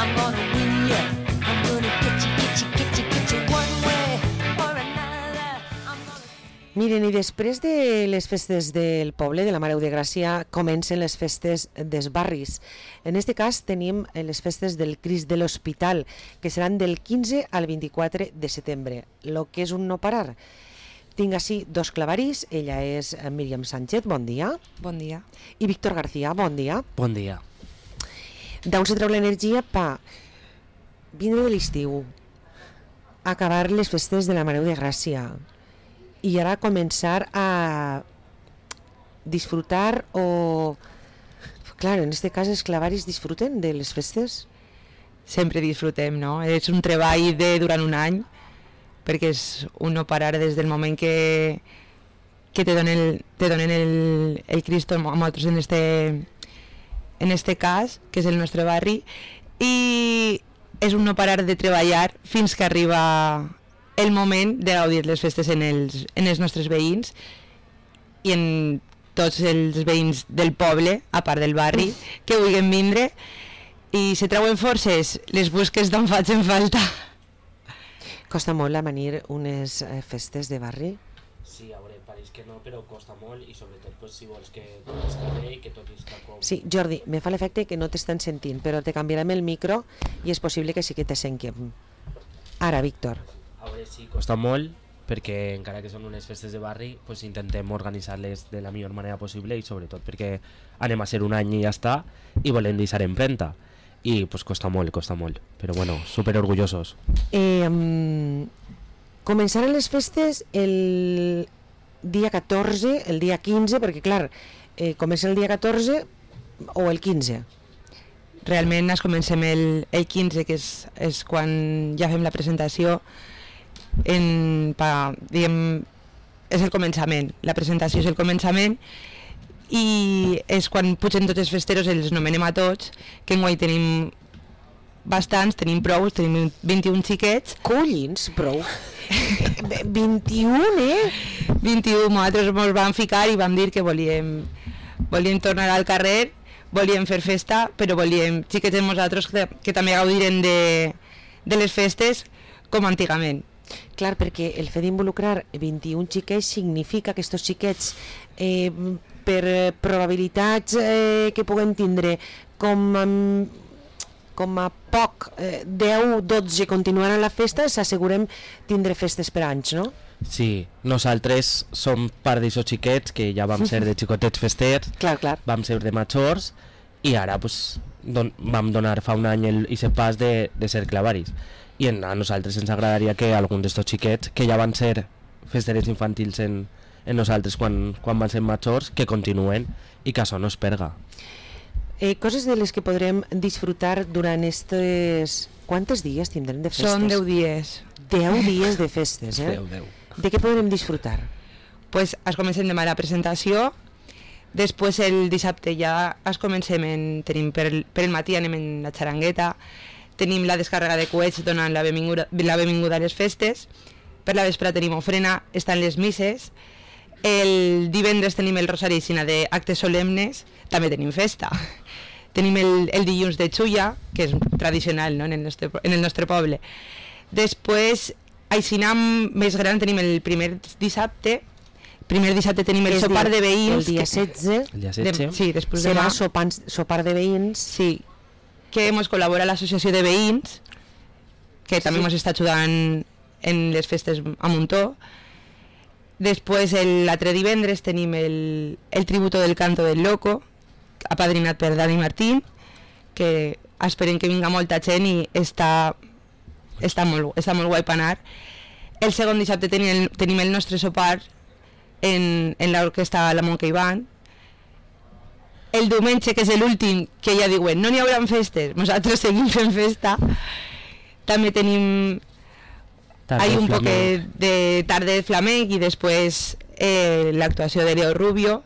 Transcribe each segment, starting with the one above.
I'm gonna win ya. I'm gonna get you one way or another. I'm gonna... Miren, i després de les festes del poble, de la Mare de Gràcia, comencen les festes dels barris. En aquest cas tenim les festes del Crist de l'Hospital, que seran del 15 al 24 de setembre, lo que és un no parar. Tinc així dos clavarís, ella és Míriam Sánchez, bon dia. Bon dia. I Víctor García, bon dia. Bon dia. D'on se treu l'energia per vindre de l'estiu, acabar les festes de la Mare de Gràcia i ara començar a disfrutar o... Clar, en aquest cas els clavaris disfruten de les festes? Sempre disfrutem, no? És un treball de durant un any, perquè és un no parar des del moment que te donen el Cristo a nosaltres en este cas, que és el nostre barri, i és un no parar de treballar fins que arriba el moment de gaudir les festes en els nostres veïns i en tots els veïns del poble, a part del barri, que vulguin vindre, i se treuen forces, les busques d'on facin falta. Costa molt amanir unes festes de barri? Sí, a veure, pareix que no, però costa molt i sobretot pues, si vols que tot es carrer i que tot es com... Sí, Jordi, me fa l'efecte que no t'estan sentint, però te canviarem el micro i és possible que sí que te sentim. Ara, Víctor. A veure, sí, costa molt, perquè encara que són unes festes de barri, pues intentem organitzar-les de la millor manera possible i sobretot perquè anem a ser un any i ja està i volem deixar empremta. I pues costa molt, però bueno, super orgullosos. Començaran les festes el dia 14, el dia 15, perquè clar, comença el dia 14 o el 15? Realment es comencem el 15, que és quan ja fem la presentació, diguem, és el començament, la presentació és el començament, i és quan pugen tots els festeros, els nomenem a tots, que enguany tenim bastants, tenim prou, tenim 21 xiquets. Collins, prou! 21, 21, nosaltres ens vam ficar i vam dir que volíem tornar al carrer, volíem fer festa, però volíem xiquets de nosaltres que també gaudiren de les festes com antigament. Clar, perquè el fet d'involucrar 21 xiquets significa que aquests xiquets per probabilitats que puguem tindre com a poc 10-12 continuaran la festa, s'assegurem tindre festes per anys, no? Sí, nosaltres som part d'aixòs xiquets que ja vam ser de xicotets festers, clar. Vam ser de majors i ara pues, vam donar fa un any aquest pas de ser clavaris. I a nosaltres ens agradaria que alguns d'estos xiquets que ja van ser festeres infantils en nosaltres quan van ser majors, que continuen i que això no es perga. Coses de les que podrem disfrutar durant estes... Quantes dies tindrem de festes? Són 10 dies. 10 dies de festes, 10. De què podrem disfrutar? Pues es comencem demà la presentació, després el dissabte ja es comencem, tenim per el matí anem en la xarangueta, tenim la descàrrega de coets donant la benvinguda a les festes, per la vespre tenim ofrena, estan les misses, el divendres tenim el rosari i cina d'actes solemnes, també tenim festa. Tenim el dilluns de xulla, que és tradicional, no? en el nostre poble. Després, a cina més gran tenim el primer dissabte tenim el sopar de veïns. El dia 16. El dia 16. Sí, després serà demà. sopar de veïns. Sí, que ens col·labora l'associació de veïns, que també ens està ajudant en les festes a Muntó. Després, l'altre divendres, tenim el tributo del canto del loco, apadrinat per Dani Martín, que esperem que vinga molta gent i està molt guai per anar. El segon dissabte tenim el nostre sopar en l'orquestra La Monkey Band. El diumenge, que és l'últim, que ja diuen no n'hi haurà festes, nosaltres seguim fent festa. També tenim un poc de tarda de flamenc i després l'actuació de Leo Rubio.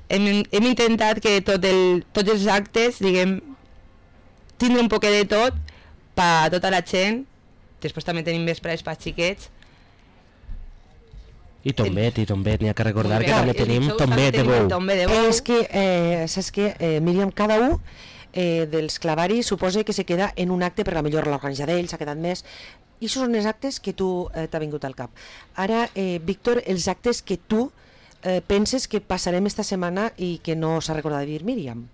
Hem intentat que tots els actes, diguem, tindre un poc de tot per a tota la gent. Després també tenim vesprades per xiquets. I tombet, n'hi ha que recordar que també tenim tombet de bou. És que, saps què, Míriam, cada un dels clavaris suposa que se queda en un acte, però millor l'organitzador d'ell s'ha quedat més. I això són els actes que tu t'ha vingut al cap. Ara, Víctor, els actes que tu penses que passarem esta setmana i que no s'ha recordat de dir Míriam.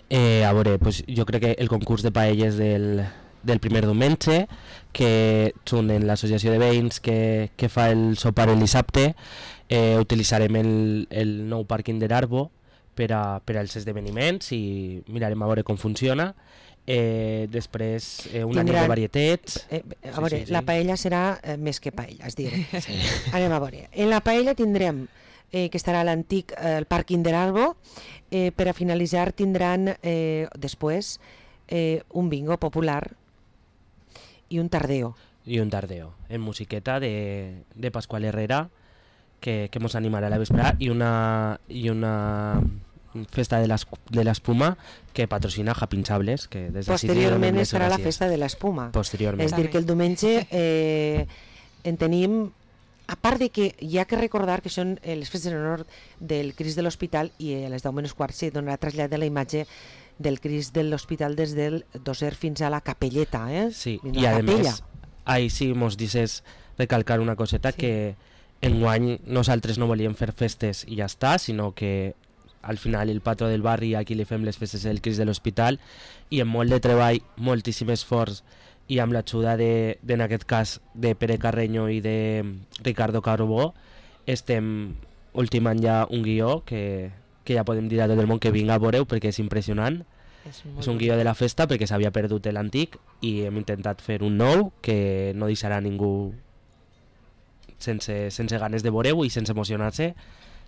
A veure, pues, jo crec que el concurs de paelles del primer diumenge, que són en l'associació de veïns que fa el sopar el dissabte, utilitzarem el nou pàrquing de l'Arbo per als esdeveniments i mirarem a veure com funciona. Després una nit de varietats. A veure, la paella serà més que paella, és dir. Anem a veure. En la paella tindrem que estarà l'antic el pàrquing de l'Arbo. Per a finalitzar tindran després un bingo popular i un tardeo. I un tardeo, en musiqueta de Pascual Herrera, que mos animarà a la vesprada, i una festa de l'espuma que patrocina Japinsables, que des de posteriorment estarà la festa de l'espuma. Posteriorment. És dir, que el diumenge en tenim, a part de que hi ha que recordar que són les festes en honor del Crist de l'Hospital, i a les 10:15 se donarà trasllat de la imatge del Crist de l'Hospital des del Doser fins a la capelleta. Sí, fins i a a la capella. més, ahí sí mos dices recalcar una coseta, sí, que enguany nosaltres no volíem fer festes i ja està, sinó que al final el patró del barri, aquí li fem les festes del Crist de l'Hospital, i amb molt de treball, moltíssim esforç, i amb l'ajuda en aquest cas de Pere Carreño i de Ricardo Carbó, estem ultimant ja un guió que ja podem dir a tot el món que vinga a veure-ho perquè és impressionant. És un guió de la festa perquè s'havia perdut l'antic i hem intentat fer un nou que no deixarà ningú sense ganes de veure-ho i sense emocionar-se,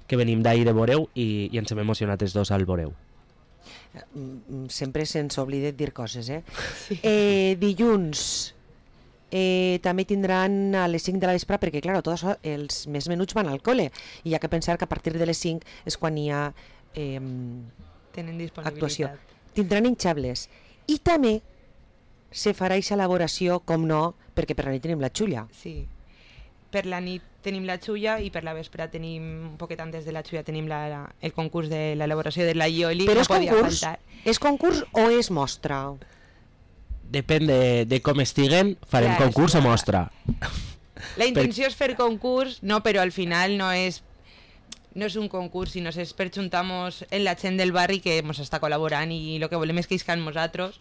que venim d'ahir de veure-ho i ens hem emocionat els dos al veure-ho. Sempre se'ns oblida dir coses, Sí. Dilluns també tindran a les 5 de la vespre, perquè clar, tot això, els més menuts van al col·le i hi ha que pensar que a partir de les 5 és quan hi ha Tenen actuació. disponibilitat. Tindran hinxables i també se farà aquesta elaboració, com no, perquè per la nit tenim la xulla. Sí. Per la nit tenim la xulla i per la vespre tenim, un poquet antes de la xulla, tenim el concurs de l'elaboració de la ioli. Però no és podia concurs? faltar. És concurs o és mostra? Depèn de com estiguen, farem Clar, concurs o clar. mostra. La intenció és fer concurs, no, però al final no és un concurs, sinó és per juntar-nos en la gent del barri que ens està col·laborant i el que volem és que iscan nosaltres,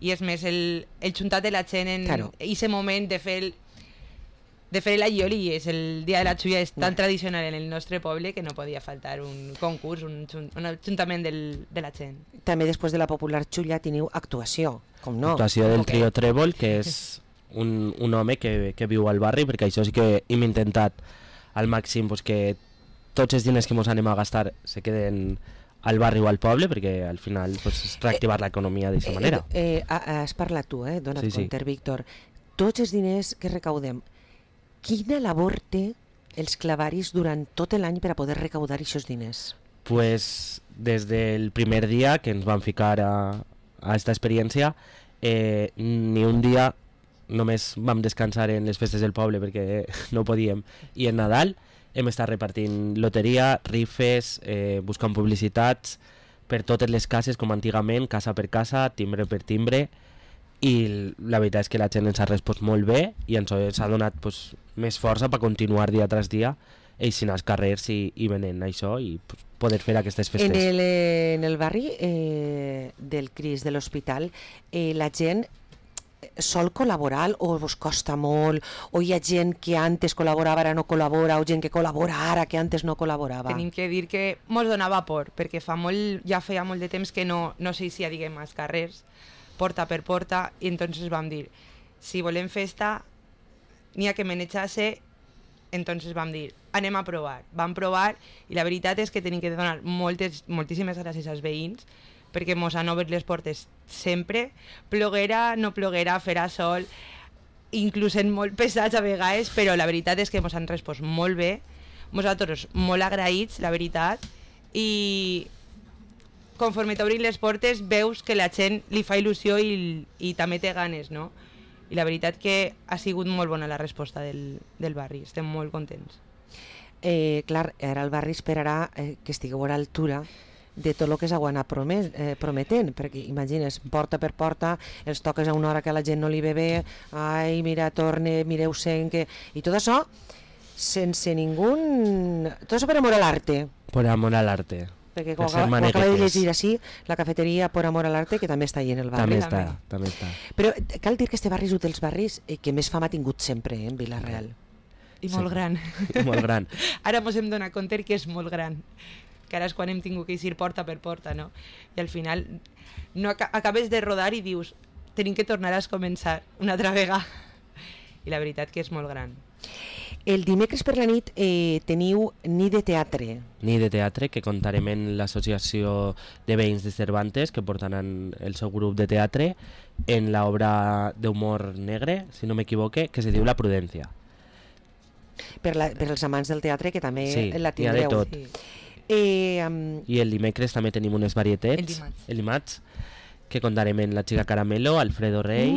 i és més el juntat de la gent en aquest moment de fer la ioli. És el dia de la xulla, és tan tradicional en el nostre poble que no podia faltar un concurs, un ajuntament de la gent. També després de la popular xulla teniu actuació, com no? Actuació del trio Trèvol, que és un home que viu al barri, perquè això sí que hem intentat al màxim pues, que tots els diners que ens anem a gastar se queden al barri o al poble, perquè al final pues, reactivar l'economia d'aquesta manera. Has parlat tu, dona't Sí, sí. compte, Víctor. Tots els diners que recaudem, quina labor té els clavaris durant tot l'any per a poder recaudar aquests diners? Pues des del primer dia que ens vam ficar a aquesta experiència, ni un dia només vam descansar en les festes del poble perquè no podíem, i en Nadal hem estat repartint loteria, rifes, buscant publicitats per totes les cases com antigament, casa per casa, timbre per timbre, i la veritat és que la gent ens ha respost molt bé i ens ha donat pues, més força per continuar dia tras dia eixint als carrers i venent això i pues, poder fer aquestes festes. En el barri del Crist de l'Hospital, la gent sol col·laborar o us costa molt, o hi ha gent que antes col·laborava ara no col·labora, o gent que col·labora ara que antes no col·laborava? Tenim que dir que mos donava por, perquè ja feia molt de temps que no s'eixia, diguem, als carrers, porta per porta, i entonces vam dir, si volem festa, n'hi ha que manejar-se, entonces vam dir, anem a provar. Vam provar, i la veritat és que tenim que donar moltíssimes gràcies als veïns, perquè mos han obert les portes sempre, ploguera, no ploguera, farà sol, inclús en molt pesats a vegades, però la veritat és que mos han respost molt bé, nosaltres molt agraïts, la veritat, i conforme t'obrin les portes veus que la gent li fa il·lusió i també té ganes, no? I la veritat que ha sigut molt bona la resposta del barri, estem molt contents. Clar, ara el barri esperarà que estigueu a l'altura de tot el que s'ho anar prometent, perquè imagines, porta per porta, els toques a una hora que la gent no li ve bé, ai, mira, torne, mireu-se'n, que... i tot això sense ningú... Tot això per amor a l'arte. Por amor al arte. Perquè Per com ser acaba de maneguetes. llegir així, la cafeteria Por amor al arte, que també està ahí en el barri. També està. Però cal dir que este barri és un dels barris que més fama ha tingut sempre, en Vila-real. I molt gran. Molt gran. Ara mos hem donat compte que és molt gran. Que ara és quan hem tingut que ir porta per porta, no? I al final no acabes de rodar i dius tenim que tornar a començar una altra vegada. I la veritat que és molt gran. El dimecres per la nit teniu nit de teatre. Ni de teatre, que contarem en l'associació de veïns de Cervantes, que portaran el seu grup de teatre en l'obra d'humor negre, si no m'equivoque, que se diu La Prudència. Per als amants del teatre, que també Sí, la n'hi ha de tindreu. tot. Sí. I el dimecres també tenim unes varietats, el dimarts, que contarem en La Chica Caramelo, Alfredo Rey,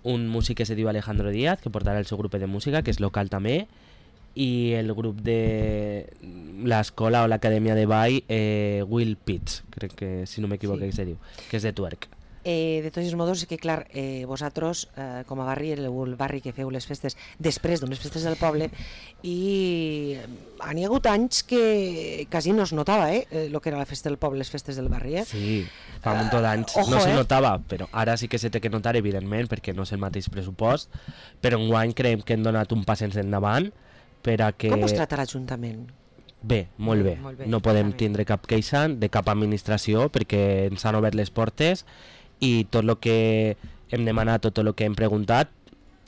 un músic que se diu Alejandro Díaz, que portarà el seu grup de música, que és local també, i el grup de l'escola o l'acadèmia de ball Will Pitts, crec que si no m'equivoco Sí. que se diu, que és de Twerk. De tots els modos, que clar, vosaltres com a barri, el barri que feu les festes després d'unes festes del poble, i n'hi ha hagut anys que quasi no es notava el que era la festa del poble, les festes del barri. Sí, fa un munt d'anys. ojo, No se notava, però ara sí que se té que notar, evidentment, perquè no és el mateix pressupost, però enguany creiem que hem donat un pas endavant per a que... Com us trata l'Ajuntament? Bé, molt bé. Molt bé, No podem també. tindre cap queixa de cap administració perquè ens han obert les portes i tot el que hem demanat, tot el que hem preguntat,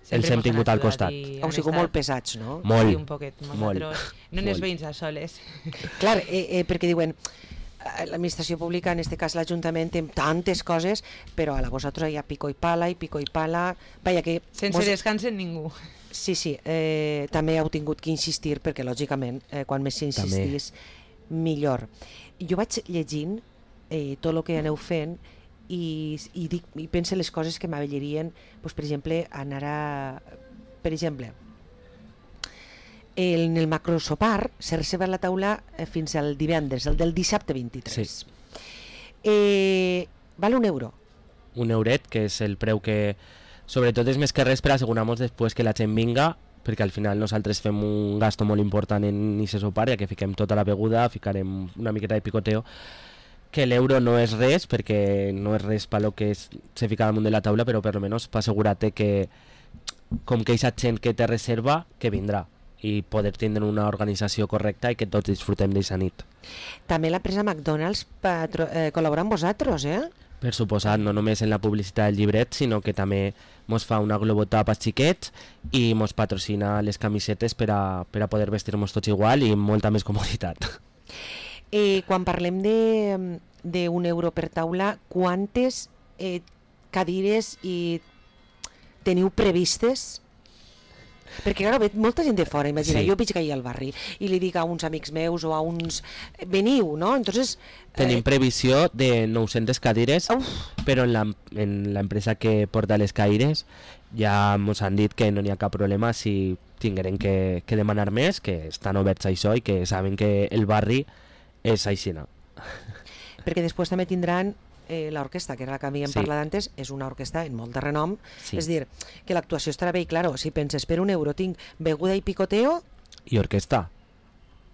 els hem mos han tingut al ajudat costat. i Heu han sigut estat- molt pesats, no? Molt, Sí, un poquet. molt, Nosaltres no ens molt. veïns a soles. Clar, perquè diuen l'administració pública, en este cas l'Ajuntament, té tantes coses, però a la vosaltres hi ha pico i pala i pico i pala. Vaja, que Sense descans en ningú. Sí, també heu tingut que insistir, perquè lògicament, quan més s'insistís, millor. Jo vaig llegint tot el que aneu fent i pense les coses que m'avellerien, doncs, per exemple, anar a... Per exemple, en el macrosopar s'ha reservat la taula fins al divendres, el del dissabte 23. Sí. Val €1. Un euret, que és el preu que... Sobretot és més que res per assegurar-nos després que la gent vinga, perquè al final nosaltres fem un gasto molt important en aquest sopar, ja que fiquem tota la beguda, ficarem una miqueta de picoteo, que l'euro no és res, perquè no és res per lo que se fica damunt de la taula, però per almenys per assegurar-te que com que aquesta gent que té reserva, que vindrà i poder tindre una organització correcta i que tots disfrutem d'aquesta nit. També l'empresa McDonald's col·labora amb vosaltres, Per suposat, no només en la publicitat del llibret, sinó que també mos fa una globotop als xiquets i mos patrocina les camisetes per a poder vestir-nos tots igual i amb molta més comoditat. Quan parlem d'1 € per taula, quantes cadires teniu previstes? Perquè ara ve molta gent de fora, imagina, Sí. jo vaig cair al barri i li dic a uns amics meus o a uns... Veniu, no? Entonces, Tenim previsió de 900 cadires, però en l'empresa que porta les cadires ja mos han dit que no n'hi ha cap problema si tingueren que demanar més, que estan oberts a això i que saben que el barri és aixina. perquè després també tindran l'orquestra, que era la que havíem Sí. parlat antes, és una orquestra en molt de renom, Sí. és dir, que l'actuació estarà bé i, claro, si penses per €1 tinc beguda i picoteo, I orquestra.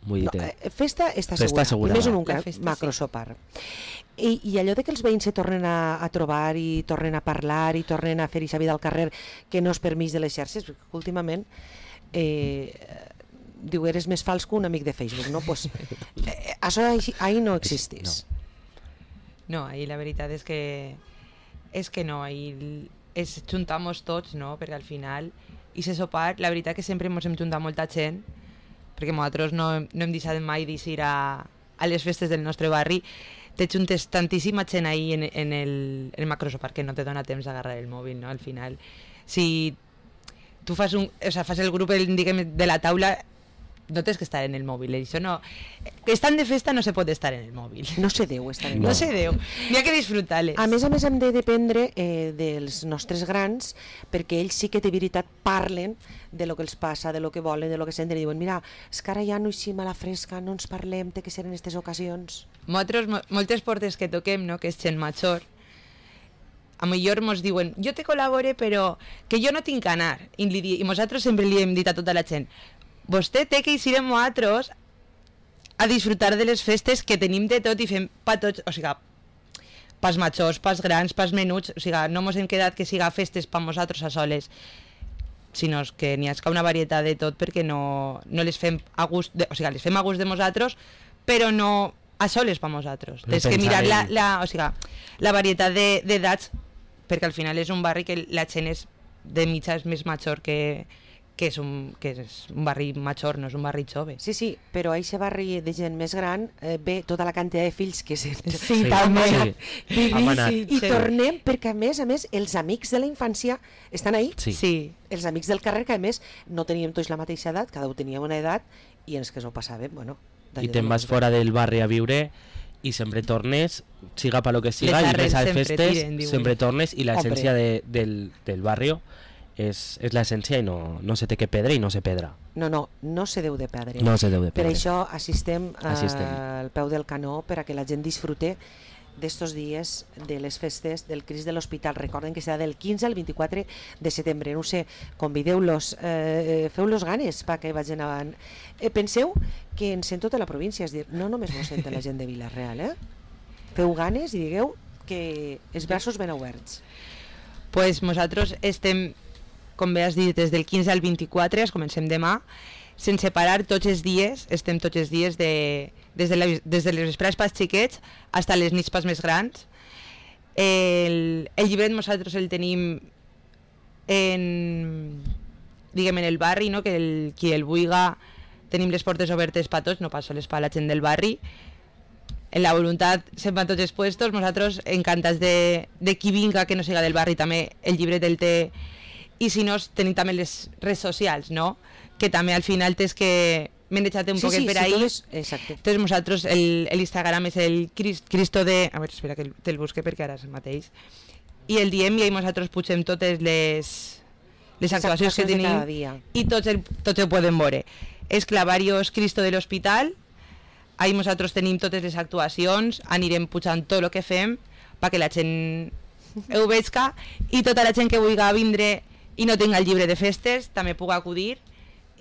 Vull no, dir, festa està Festa assegurada, i més en un La festa, macrosopar. I allò de que els veïns se tornen a trobar i tornen a parlar i tornen a fer aquesta vida al carrer que no és permís de les xarxes, perquè últimament diu, eres més fals que un amic de Facebook, no? Pues, això ahí no existís. No, ahí la veritat és que no, ahí es juntamos tots, no? Perquè al final, i se sopar, la veritat que sempre ens hem juntat molta gent, perquè nosaltres no hem deixat mai d'ir a les festes del nostre barri, te juntes tantíssima gent ahí en el macrosopar que no te dona temps d'agarrar el mòbil, no? Al final, si tu fas el grup diguem, de la taula, no tens que estar en el mòbil, això no... Estant de festa no se pot estar en el mòbil. No se deu estar en No se deu. N'hi ha que disfrutar-les. A més, hem de dependre dels nostres grans, perquè ells sí que de veritat parlen de lo que els passa, de lo que volen, de lo que senten, i diuen, mira, és que ara ja no eixim a la fresca, no ens parlem, té que ser en aquestes ocasions. Nosaltres, moltes portes que toquem, no?, que és gent major, a millor mos diuen, jo te col·labore però que jo no tinc que anar, i nosaltres sempre li hem dit a tota la gent, vostè té que eixir amb nosaltres a disfrutar de les festes que tenim de tot i fem pa tots, o sigui, pas majors, pas grans, pas menuts, o sigui, no mos hem quedat que siga festes pa nosaltres a soles, sinó que n'hi ha una varietat de tot perquè no les fem a gust, o sigui, les fem a gust de nosaltres, però no a soles pa nosaltres. Tens que mirar o sigui, la varietat d'edats, perquè al final és un barri que la gent és de mitja és més major que és un barri major, no és un barri jove. Sí, sí, però a aquest barri de gent més gran ve tota la quantitat de fills que Sí, també. Hem anat. I tornem perquè, a més, els amics de la infància estan ahí. Sí. Els amics del carrer, que a més no teníem tots la mateixa edat, cada un teníem una edat, i ens que s'ho passàvem, bueno... I te'n vas fora del barri a viure i sempre tornes, siga per lo que siga, i més a les festes, sempre tornes, i l'essència del barri és l'essència i no se té que perdre i no se pedra. No se deu de perdre. No se deu de Per perdre. això assistem al peu del canó per a que la gent disfrute d'estos dies de les festes del Crist de l'Hospital. Recorden que serà del 15 al 24 de setembre. No sé, convideu-los, feu-los ganes perquè vagin avant. Penseu que en sent tota la província, és dir, no només ho sent la gent de Vila-real, feu ganes i digueu que els braços ben oberts. Pues nosaltres estem, com bé has dit, des del 15 al 24, comencem demà, sense parar tots els dies, estem tots els dies des de les vesprades pels xiquets fins a les nits pels més grans. El llibret nosaltres el tenim en el barri, no? Que qui el vulga, tenim les portes obertes per tots, no pas sols per la gent del barri. En la voluntat sempre tots els puestos, nosaltres encantats de qui vinga que no siga del barri, també el llibret el té, i si no tenim també les redes socials, no? Que també al final tens que m'he deixat un poquet per ahí. Exacte. Entonces nosaltres l'Instagram és el Cristo de... A veure, espera que te'l busque perquè ara és el mateix. I el diem i nosaltres pugem totes les actuacions que tenim i tots ho poden veure. És Clavarios Cristo de l'Hospital, ahí nosaltres tenim totes les actuacions, anirem pujant tot el que fem perquè la gent ho veig i tota la gent que vulgui vindre i no tinga el llibre de festes també pugui acudir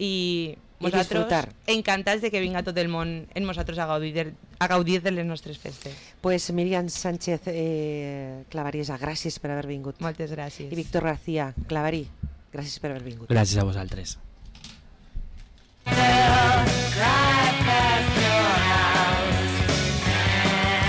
i nosaltres encantats de que vinga tot el món en nosaltres a gaudir de les nostres festes. Pues Míriam Sánchez Clavariesa, gràcies per haver vingut. Moltes gràcies. I Víctor García Clavarí, gràcies per haver vingut. Gràcies a vosaltres. Cry